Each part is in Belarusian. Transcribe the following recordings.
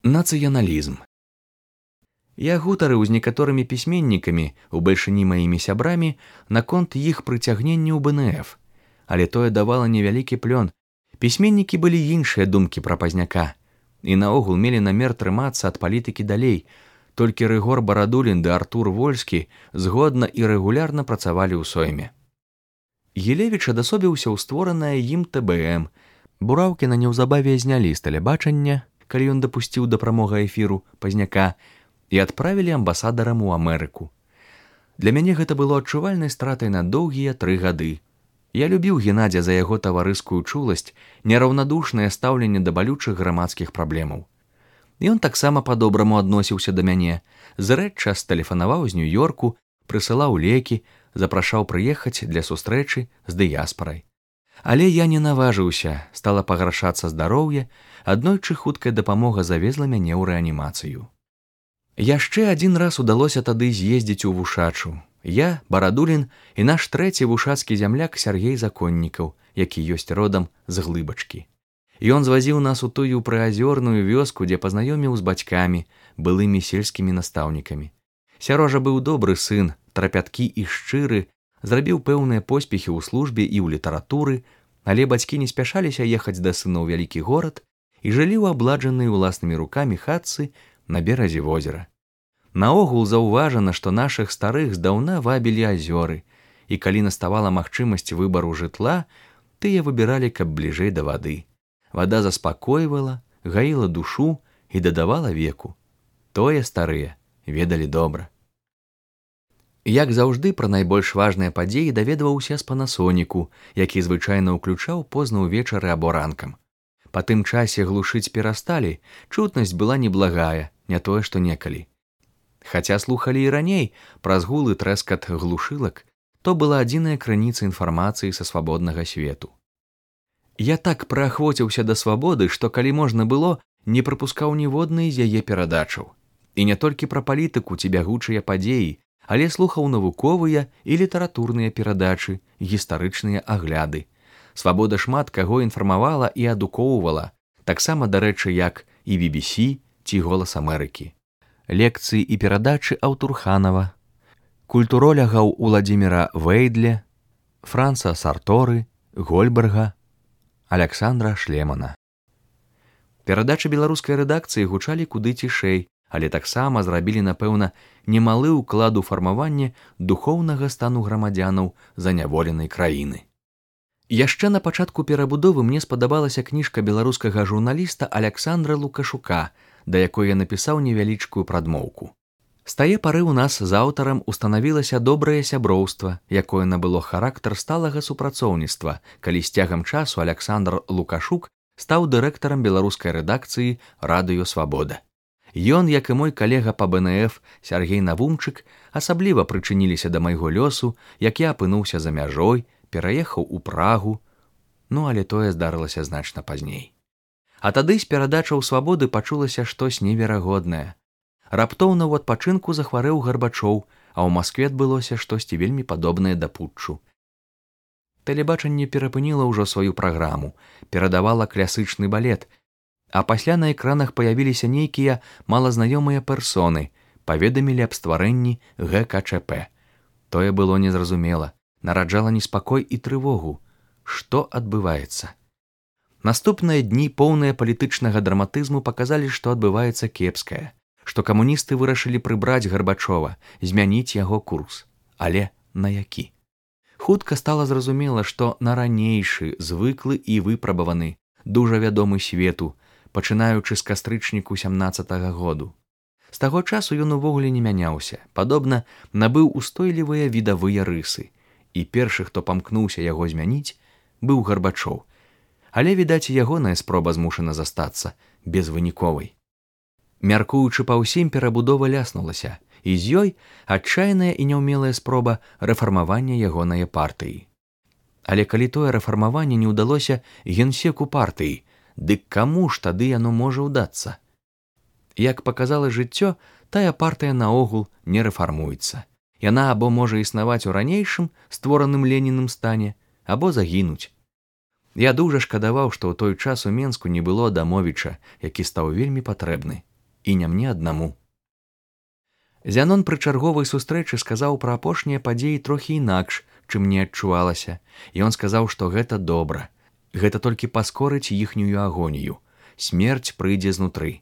Нацыяналізм. Я гутарыў з некаторымі пісьменнікамі, у бальшыні маімі сябрамі, наконт іх прыцягнення ў БНФ, але тое давала невялікі плён. Пісьменнікі былі іншыя думкі пра Пазняка і наогул мелі намер трымацца ад палітыкі далей. Толькі Рыгор Барадулін ды Артур Вольскі згодна і рэгулярна працавалі ў сойме. Гілевіч адасобіўся ў створанае ім ТБМ. Бураўкіна неўзабаве знялі з тэлебачання, калі ён дапусціў да прамога эфіру Пазняка, і адправілі амбасадарам у Амерыку. Для мяне гэта было адчувальнай стратай на доўгія 3 гады. Я любіў Геннадзя за яго таварыскую чуласць, нераўнадушнае стаўленне да балючых грамадскіх праблемаў. Ён таксама па-добраму адносіўся да мяне, зрэдча тэлефанаваў з Нью-Йорку, прысылаў лекі, запрашаў прыехаць для сустрэчы з дыяспарай. Але я не наважыўся, стала пагаршацца здароўе, аднойчы хуткая дапамога завезла мяне ў рэанімацыю. Яшчэ адзін раз удалося тады з'ездзіць у Вушачу. Я, Барадулін і наш трэці вушацкі зямляк Сяргей Законнікаў, які ёсць родам з Глыбачкі. Ён звазіў нас у тую прыазёрную вёску, дзе пазнаёміў з бацькамі, былымі сельскімі настаўнікамі. Сярожа быў добры сын, трапяткі і шчыры, зрабіў пэўныя поспехі ў службе і ў літаратуры, але бацькі не спяшаліся ехаць да сына ў вялікі горад і жылі ў абладжанай уласнымі рукамі хатцы на беразе возера. Наогул заўважана, што нашых старых здаўна вабілі азёры, і калі наставала магчымасць выбару жытла, тыя выбіралі, каб бліжэй да вады. Вада заспакойвала, гаіла душу і дадавала веку. Тое старыя ведалі добра. Як заўжды, пра найбольш важныя падзеі даведваўся з Панасоніку, які звычайна ўключаў позна ўвечары або ранкам. Па тым часе глушыць перасталі, чутнасць была неблагая, не тое што некалі. Хаця слухалі і раней праз гул і трэскат глушылак, то была адзіная крыніца інфармацыі са свабоднага свету. Я так прыахвоціўся да свабоды, што калі можна было, не прапускаў ніводнай з яе перадачаў. І не толькі пра палітыку ці бягучыя падзеі, але слухаў навуковыя і літаратурныя перадачы, гістарычныя агляды. Свабода шмат каго інфармавала і адукоўвала, таксама, дарэчы, як і BBC ці Голас Амерыкі. Лекцыі і перадачы Аўтурханава, культуролягаў Уладзіміра Вэйдле, Франца Сарторы, Гольберга, Аляксандра Шлемана. Перадачы беларускай рэдакцыі гучалі куды цішэй, але таксама зрабілі, напэўна, немалы ўклад у фармаванне духоўнага стану грамадзянаў заняволенай краіны. Яшчэ на пачатку перабудовы мне спадабалася кніжка беларускага журналіста Аляксандра Лукашука, да якой я напісаў невялічкую прадмоўку. З тае пары ў нас з аўтарам устанавілася добрае сяброўства, якое набыло характар сталага супрацоўніцтва, калі з цягам часу Аляксандр Лукашук стаў дырэктарам беларускай рэдакцыі «Радыё Свабода». Ён, як і мой калега па БНФ Сяргей Навумчык, асабліва прычыніліся да майго лёсу, як я апынуўся за мяжой, пераехаў у Прагу, але тое здарылася значна пазней. А тады з перадачаў свабоды пачулася штось неверагоднае. Раптоўна ў адпачынку захварэў Гарбачоў, а ў Маскве адбылося штосьці вельмі падобнае да путчу. Тэлебачанне перапыніла ўжо сваю праграму, перадавала класычны балет, а пасля на экранах паявіліся нейкія малазнаёмыя персоны, паведамілі аб стварэнні ГКЧП. Тое было незразумела, нараджала неспакой і трывогу. Што адбываецца? Наступныя дні, поўныя палітычнага драматызму, паказалі, што адбываецца кепскае, што камуністы вырашылі прыбраць Гарбачова, змяніць яго курс. Але на які? Хутка стала зразумела, што на ранейшы, звыклы і выпрабаваны, дужа вядомы свету, пачынаючы з кастрычніку 17-го году. З таго часу ён увогуле не мяняўся, падобна набыў устойлівыя відавыя рысы, і першы, хто памкнуўся яго змяніць, быў Гарбачоў. Але, відаць, ягоная спроба змушана застацца безвыніковай. Мяркуючы па ўсім, перабудова ляснулася, і з ёй адчайная і няўмелая спроба рэфармавання ягонае партыі. Але калі тое рэфармаванне не ўдалося генсеку партыі, дык каму ж тады яно можа ўдацца? Як паказала жыццё, тая партыя наогул не рэфармуецца. Яна або можа існаваць у ранейшым, створаным Леніным стане, або загінуць. Я дужа шкадаваў, што ў той час у Менску не было Адамовіча, які стаў вельмі патрэбны. і не мне аднаму. Зянон пры чарговай сустрэчы сказаў пра апошнія падзеі трохі інакш, чым мне адчувалася, і ён сказаў, што гэта добра. Гэта толькі паскорыць іхнюю агонію. Смерць прыйдзе знутры.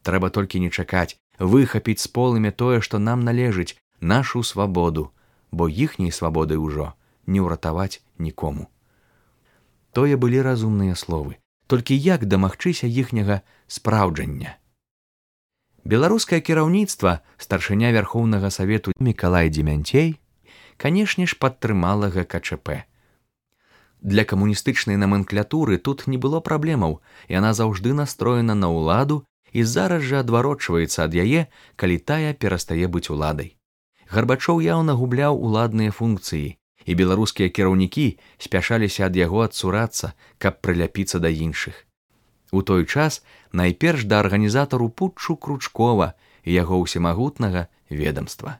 Трэба толькі не чакаць, выхапіць з полымя тое, што нам належыць, нашу свабоду, бо іхняй свабоды ўжо не ўратаваць нікому. Тое былі разумныя словы, толькі як дамагчыся іхняга спраўджання. Беларускае кіраўніцтва, старшыня Вярхоўнага Савету Мікалай Дземянцей, канешне ж, падтрымала ГКЧП. Для камуністычнай наменклатуры тут не было праблемаў, яна заўжды настроена на ўладу і зараз жа адварочваецца ад яе, калі тая перастае быць уладай. Гарбачоў яўна губляў уладныя функцыі, і беларускія кіраўнікі спяшаліся ад яго адсурацца, каб прыляпіцца да іншых. У той час найперш да арганізатару путчу Кручкова і яго ўсемагутнага ведамства.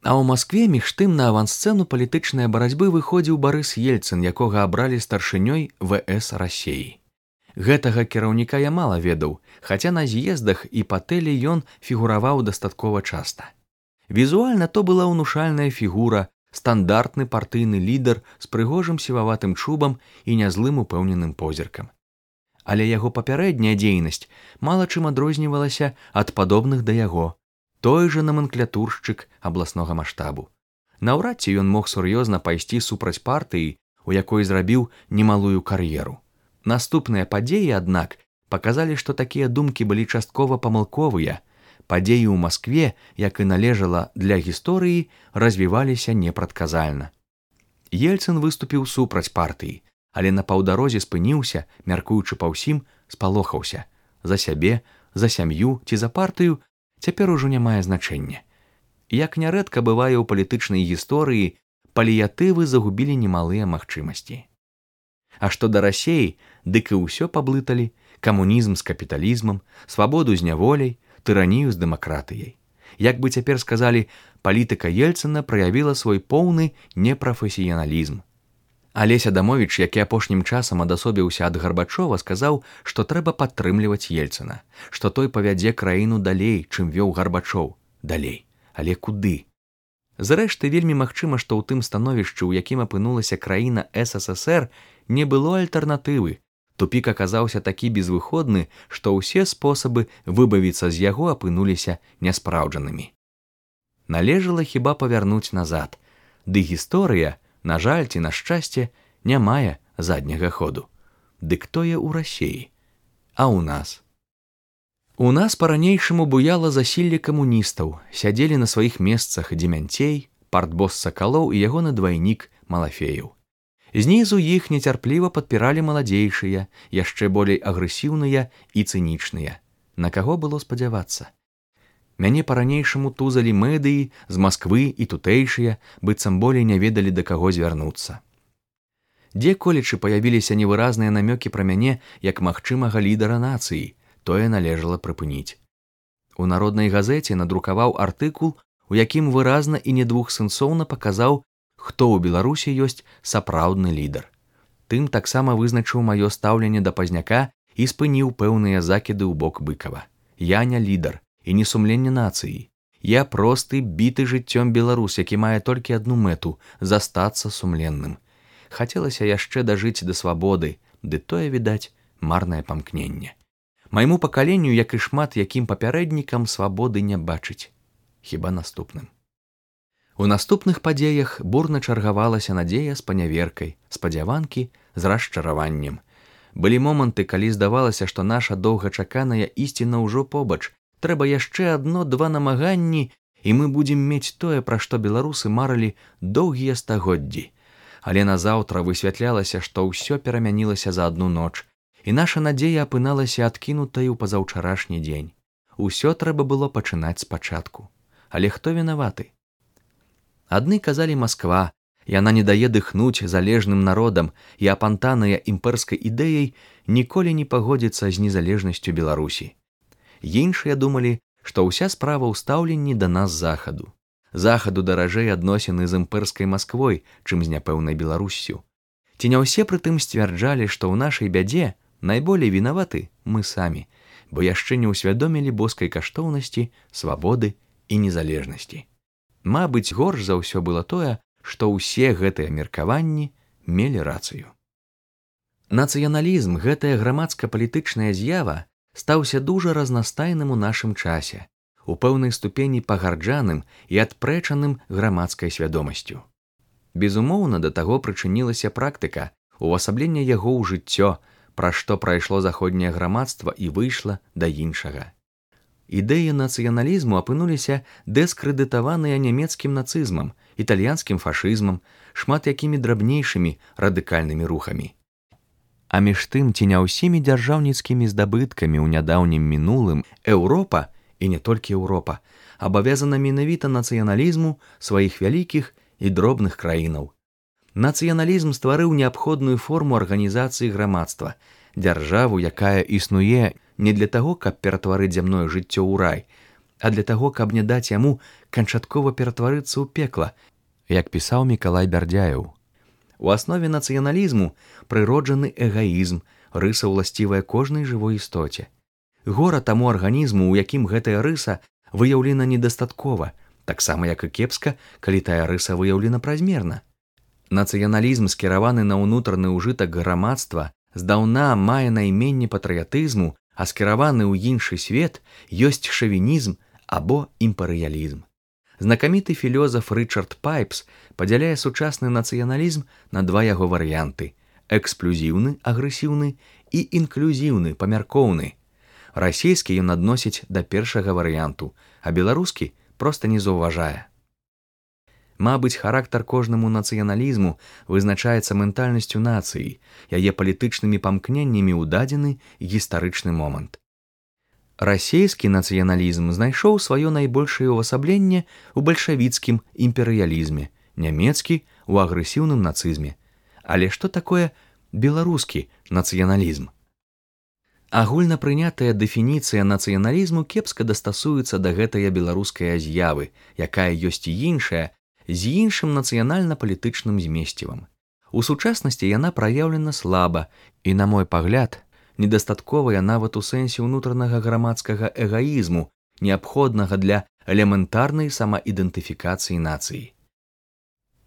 А ў Маскве між тым на авансцэну палітычнай барацьбы выходзіў Барыс Ельцын, якога абралі старшынёй ВС Расеі. Гэтага кіраўніка я мала ведаў, хаця на з'ездах і па тэле ён фігураваў дастаткова часта. Візуальна то была ўнушальная фігура, стандартны партыйны лідар з прыгожым сіваватым чубам і нязлым упэўненым позіркам. Але яго папярэдняя дзейнасць мала чым адрознівалася ад падобных да яго, той жа наменклатуршчык абласнога маштабу. Наўрад ці ён мог сур'ёзна пайсці супраць партыі, у якой зрабіў немалую кар'еру. Наступныя падзеі, аднак, паказалі, што такія думкі былі часткова памылковыя. Падзеі ў Маскве, як і належала для гісторыі, развіваліся непрадказальна. Ельцын выступіў супраць партыі, але на паўдарозе спыніўся, мяркуючы па ўсім, спалохаўся. За сябе, за сям'ю ці за партыю цяпер ужо не мае значэння. Як нярэдка бывае ў палітычнай гісторыі, паліятывы загубілі немалыя магчымасці. А што да Расеі, дык і ўсё паблыталі: камунізм з капіталізмам, свабоду з няволяй, тыранію з дэмакратыяй. Як бы цяпер сказалі, палітыка Ельцына праявіла свой поўны непрафесіяналізм. Алесь Адамовіч, які апошнім часам адасобіўся ад Гарбачова, сказаў, што трэба падтрымліваць Ельцына, што той павядзе краіну далей, чым вёў Гарбачоў. Далей. Але куды? Зрэшты, вельмі магчыма, што ў тым становішчы, у якім апынулася краіна СССР, не было альтэрнатывы. Тупік аказаўся такі безвыходны, што ўсе спосабы выбавіцца з яго апынуліся няспраўджанымі. Належала хіба павярнуць назад. Ды гісторыя, на жаль ці на шчасце, не мае задняга ходу. Дык тое ў Расеі. А ў нас? У нас па-ранейшаму буяла засілле камуністаў, сядзелі на сваіх месцах Дземянцей, партбос Сакалоў і ягоны двайнік Малафеяў. Знізу іх нецярпліва падпіралі маладзейшыя, яшчэ болей агрэсіўныя і цынічныя. На каго было спадзявацца? Мяне па-ранейшаму тузалі медыі з Масквы і тутэйшыя, быццам болей не ведалі, да каго звярнуцца. Дзе-колечы паявіліся невыразныя намёкі пра мяне як магчымага лідара нацыі, тое належала прыпыніць. У народнай газеце надрукаваў артыкул, у якім выразна і недвухсэнсоўна паказаў, хто ў Беларусі ёсць сапраўдны лідар. Тым таксама вызначыў маё стаўленне да Пазняка і спыніў пэўныя закіды ў бок Быкава. Я не лідар і не сумленне нацыі. Я просты, біты жыццём беларус, які мае толькі адну мэту – застацца сумленным. Хацелася яшчэ дажыць да свабоды, ды тое, відаць, марнае памкненне. Майму пакаленню, як і шмат якім папярэднікам, свабоды не бачыць. Хіба наступным. У наступных падзеях бурна чаргавалася надзея з паняверкай, спадзяванкі з расчараваннем. Былі моманты, калі здавалася, што наша доўгачаканая ісціна ўжо побач, трэба яшчэ адно-два намаганні, і мы будзем мець тое, пра што беларусы марылі доўгія стагоддзі. Але назаўтра высвятлялася, што ўсё перамянілася за адну ноч, і наша надзея апыналася адкінутай у пазаўчарашні дзень. Усё трэба было пачынаць спачатку. Але хто вінаваты? Адны казалі Масква, яна не дае дыхнуць залежным народам, і апантаная імперскай ідэяй ніколі не пагодзіцца з незалежнасцю Беларусі. Іншыя думалі, што ўся справа ў стаўленні да нас захаду. Захаду даражэй адносіны з імперскай Масквой, чым з няпэўнай Беларуссю. Ці не ўсе прытым сцвярджалі, што ў нашай бядзе найболей вінаваты мы самі. бо яшчэ не ўсвядомілі боскай каштоўнасці, свабоды і незалежнасці. Мабыць, горш за ўсё было тое, што ўсе гэтыя меркаванні мелі рацыю. Нацыяналізм, гэтая грамадска-палітычная з'ява, стаўся дужа разнастайным у нашым часе, у пэўнай ступені пагарджаным і адпрэчаным грамадскай свядомасцю. Безумоўна, да таго прычынілася практыка, увасаблення яго ў жыццё, пра што прайшло заходняе грамадства і выйшла да іншага. Ідэі нацыяналізму апынуліся дэскрэдытаваныя нямецкім нацызмам, італьянскім фашызмам, шмат якімі драбнейшымі радыкальнымі рухамі. А між тым, ці не ўсімі дзяржаўніцкімі здабыткамі ў нядаўнім мінулым Еўропа, і не толькі Еўропа, абавязана менавіта нацыяналізму сваіх вялікіх і дробных краінаў. Нацыяналізм стварыў неабходную форму арганізацыі грамадства, дзяржаву, якая існуе не для таго, каб ператварыць зямное жыццё ў рай, а для таго, каб не даць яму канчаткова ператварыцца ў пекла, як пісаў Мікалай Бярдзяеў. У аснове нацыяналізму прыроджаны эгаізм, рыса ўласцівая кожнай жывой істоце. Гора таму арганізму, у якім гэтая рыса выяўлена недастаткова, таксама як і кепска, калі тая рыса выяўлена празмерна. Нацыяналізм, скіраваны на ўнутраны ўжытак грамадства, здаўна мае найменне патрыятызму, а скіраваны ў іншы свет ёсць шавінізм або імперыялізм. Знакаміты філёзаф Рычард Пайпс падзяляе сучасны нацыяналізм на два яго варыянты – эксклюзіўны, агрэсіўны і інклюзіўны, памяркоўны. Расійскі ён адносіць да першага варыянту, а беларускі проста не заўважае. Мабыць, характар кожнаму нацыяналізму вызначаецца ментальнасцю нацыі, яе палітычнымі памкненнямі ў дадзены гістарычны момант. Расійскі нацыяналізм знайшоў сваё найбольшае ўвасабленне ў бальшавіцкім імперыялізме, нямецкі ў агрэсіўным нацызме. Але што такое беларускі нацыяналізм? Агульнапрынятая дэфініцыя нацыяналізму кепска дастасуецца да гэтая беларуская з'явы, якая ёсць і іншая, з іншым нацыянальна-палітычным змесцівам. У сучаснасці яна праяўлена слаба і, на мой пагляд, недастатковая нават у сэнсе ўнутранага грамадскага эгаізму, неабходнага для элементарнай самаідэнтыфікацыі нацыі.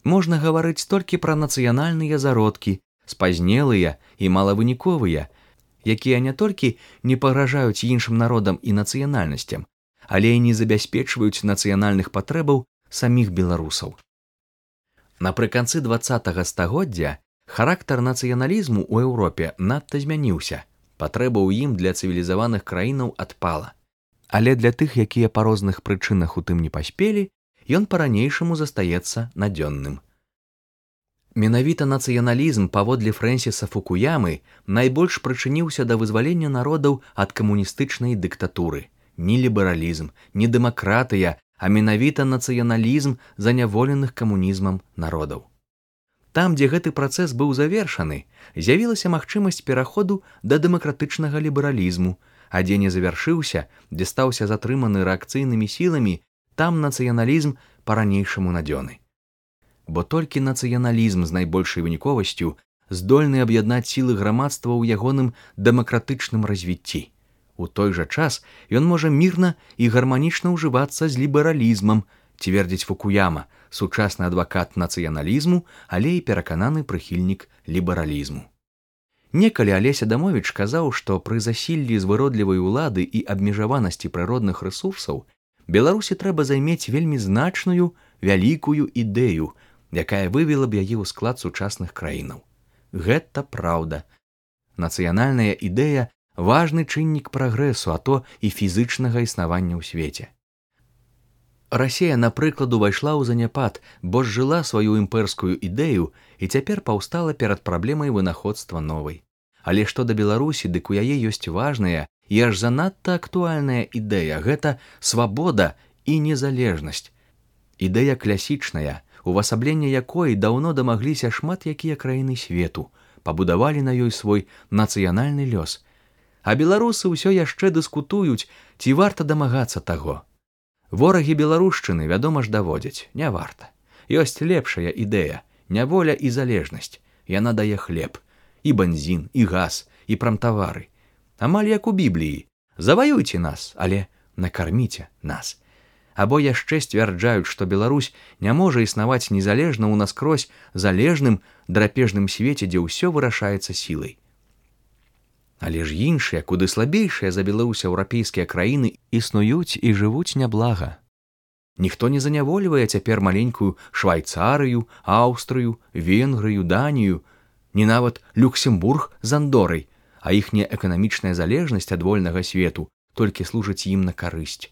Можна гаварыць толькі пра нацыянальныя зародкі, спазнелыя і малавыніковыя, якія не толькі не пагражаюць іншым народам і нацыянальнасцям, але і не забяспечваюць нацыянальных патрэбаў саміх беларусаў. Напрыканцы 20-го стагоддзя характар нацыяналізму ў Еўропе надта змяніўся, патрэба ў ім для цывілізаваных краінаў адпала. Але для тых, якія па розных прычынах у тым не паспелі, ён па-ранейшаму застаецца надзённым. Менавіта нацыяналізм, паводле Фрэнсіса Фукуямы, найбольш прычыніўся да вызвалення народаў ад камуністычнай дыктатуры. Ні лібералізм, ні дэмакратыя, а менавіта нацыяналізм заняволеных камунізмам народаў. Там, дзе гэты працэс быў завершаны, з'явілася магчымасць пераходу да дэмакратычнага лібералізму, а дзе не завяршыўся, дзе стаўся затрыманы рэакцыйнымі сіламі, там нацыяналізм па-ранейшаму надзёны. Бо толькі нацыяналізм з найбольшай выніковасцю здольны аб'яднаць сілы грамадства ў ягоным дэмакратычным развіцці. У той жа час ён можа мірна і гарманічна ўжывацца з лібералізмам, цвердзіць Фукуяма, сучасны адвакат нацыяналізму, але і перакананы прыхільнік лібералізму. Некалі Алесь Адамовіч казаў, што пры засіллі з выродлівай улады і абмежаванасці прыродных рэсурсаў Беларусі трэба займець вельмі значную, вялікую ідэю, якая вывела б яе ў склад сучасных краінаў. Гэта праўда. Нацыянальная ідэя – важны чыннік прагрэсу, а то і фізычнага існавання ў свеце. Расія, напрыклад, увайшла ў заняпад, бо зжыла сваю імперскую ідэю і цяпер паўстала перад праблемай вынаходства новай. Але што да Беларусі, дык у яе ёсць важная і аж занадта актуальная ідэя – гэта свабода і незалежнасць. Ідэя класічная, увасабленне якой даўно дамагліся шмат якія краіны свету, пабудавалі на ёй свой нацыянальны лёс. А беларусы ўсё яшчэ дыскутуюць, ці варта дамагацца таго. Ворагі беларушчыны, вядома ж, даводзяць, не варта. Ёсць лепшая ідэя – няволя і залежнасць. Яна дае хлеб, і бензін, і газ, і прамтавары. Амаль як у Бібліі. Заваюйце нас, але накарміце нас. Або яшчэ сцвярджаюць, што Беларусь не можа існаваць незалежна ў наскрозь залежным драпежным свеце, дзе ўсё вырашаецца сілай. Але ж іншыя, куды слабейшыя за Беларусь еўрапейскія краіны існуюць і жывуць няблага. Ніхто не занявольвае цяпер маленькую Швайцарыю, Аўстрыю, Венгрыю, Данію, не нават Люксембург з Андорай, а іхняя эканамічная залежнасць ад вольнага свету толькі служыць ім на карысць.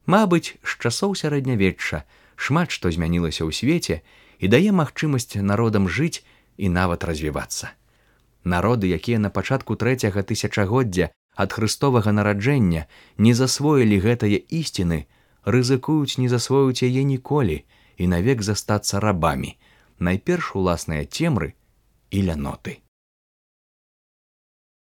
Мабыць, з часоў сярэднявечча шмат што змянілася ў свеце і дае магчымасць народам жыць і нават развівацца. Народы, якія на пачатку 3-го тысячагоддзя ад хрыстовага нараджэння не засвоілі гэтае ісціны, рызыкуюць не засвоіць яе ніколі і навек застацца рабамі, найперш уласныя цемры і ляноты.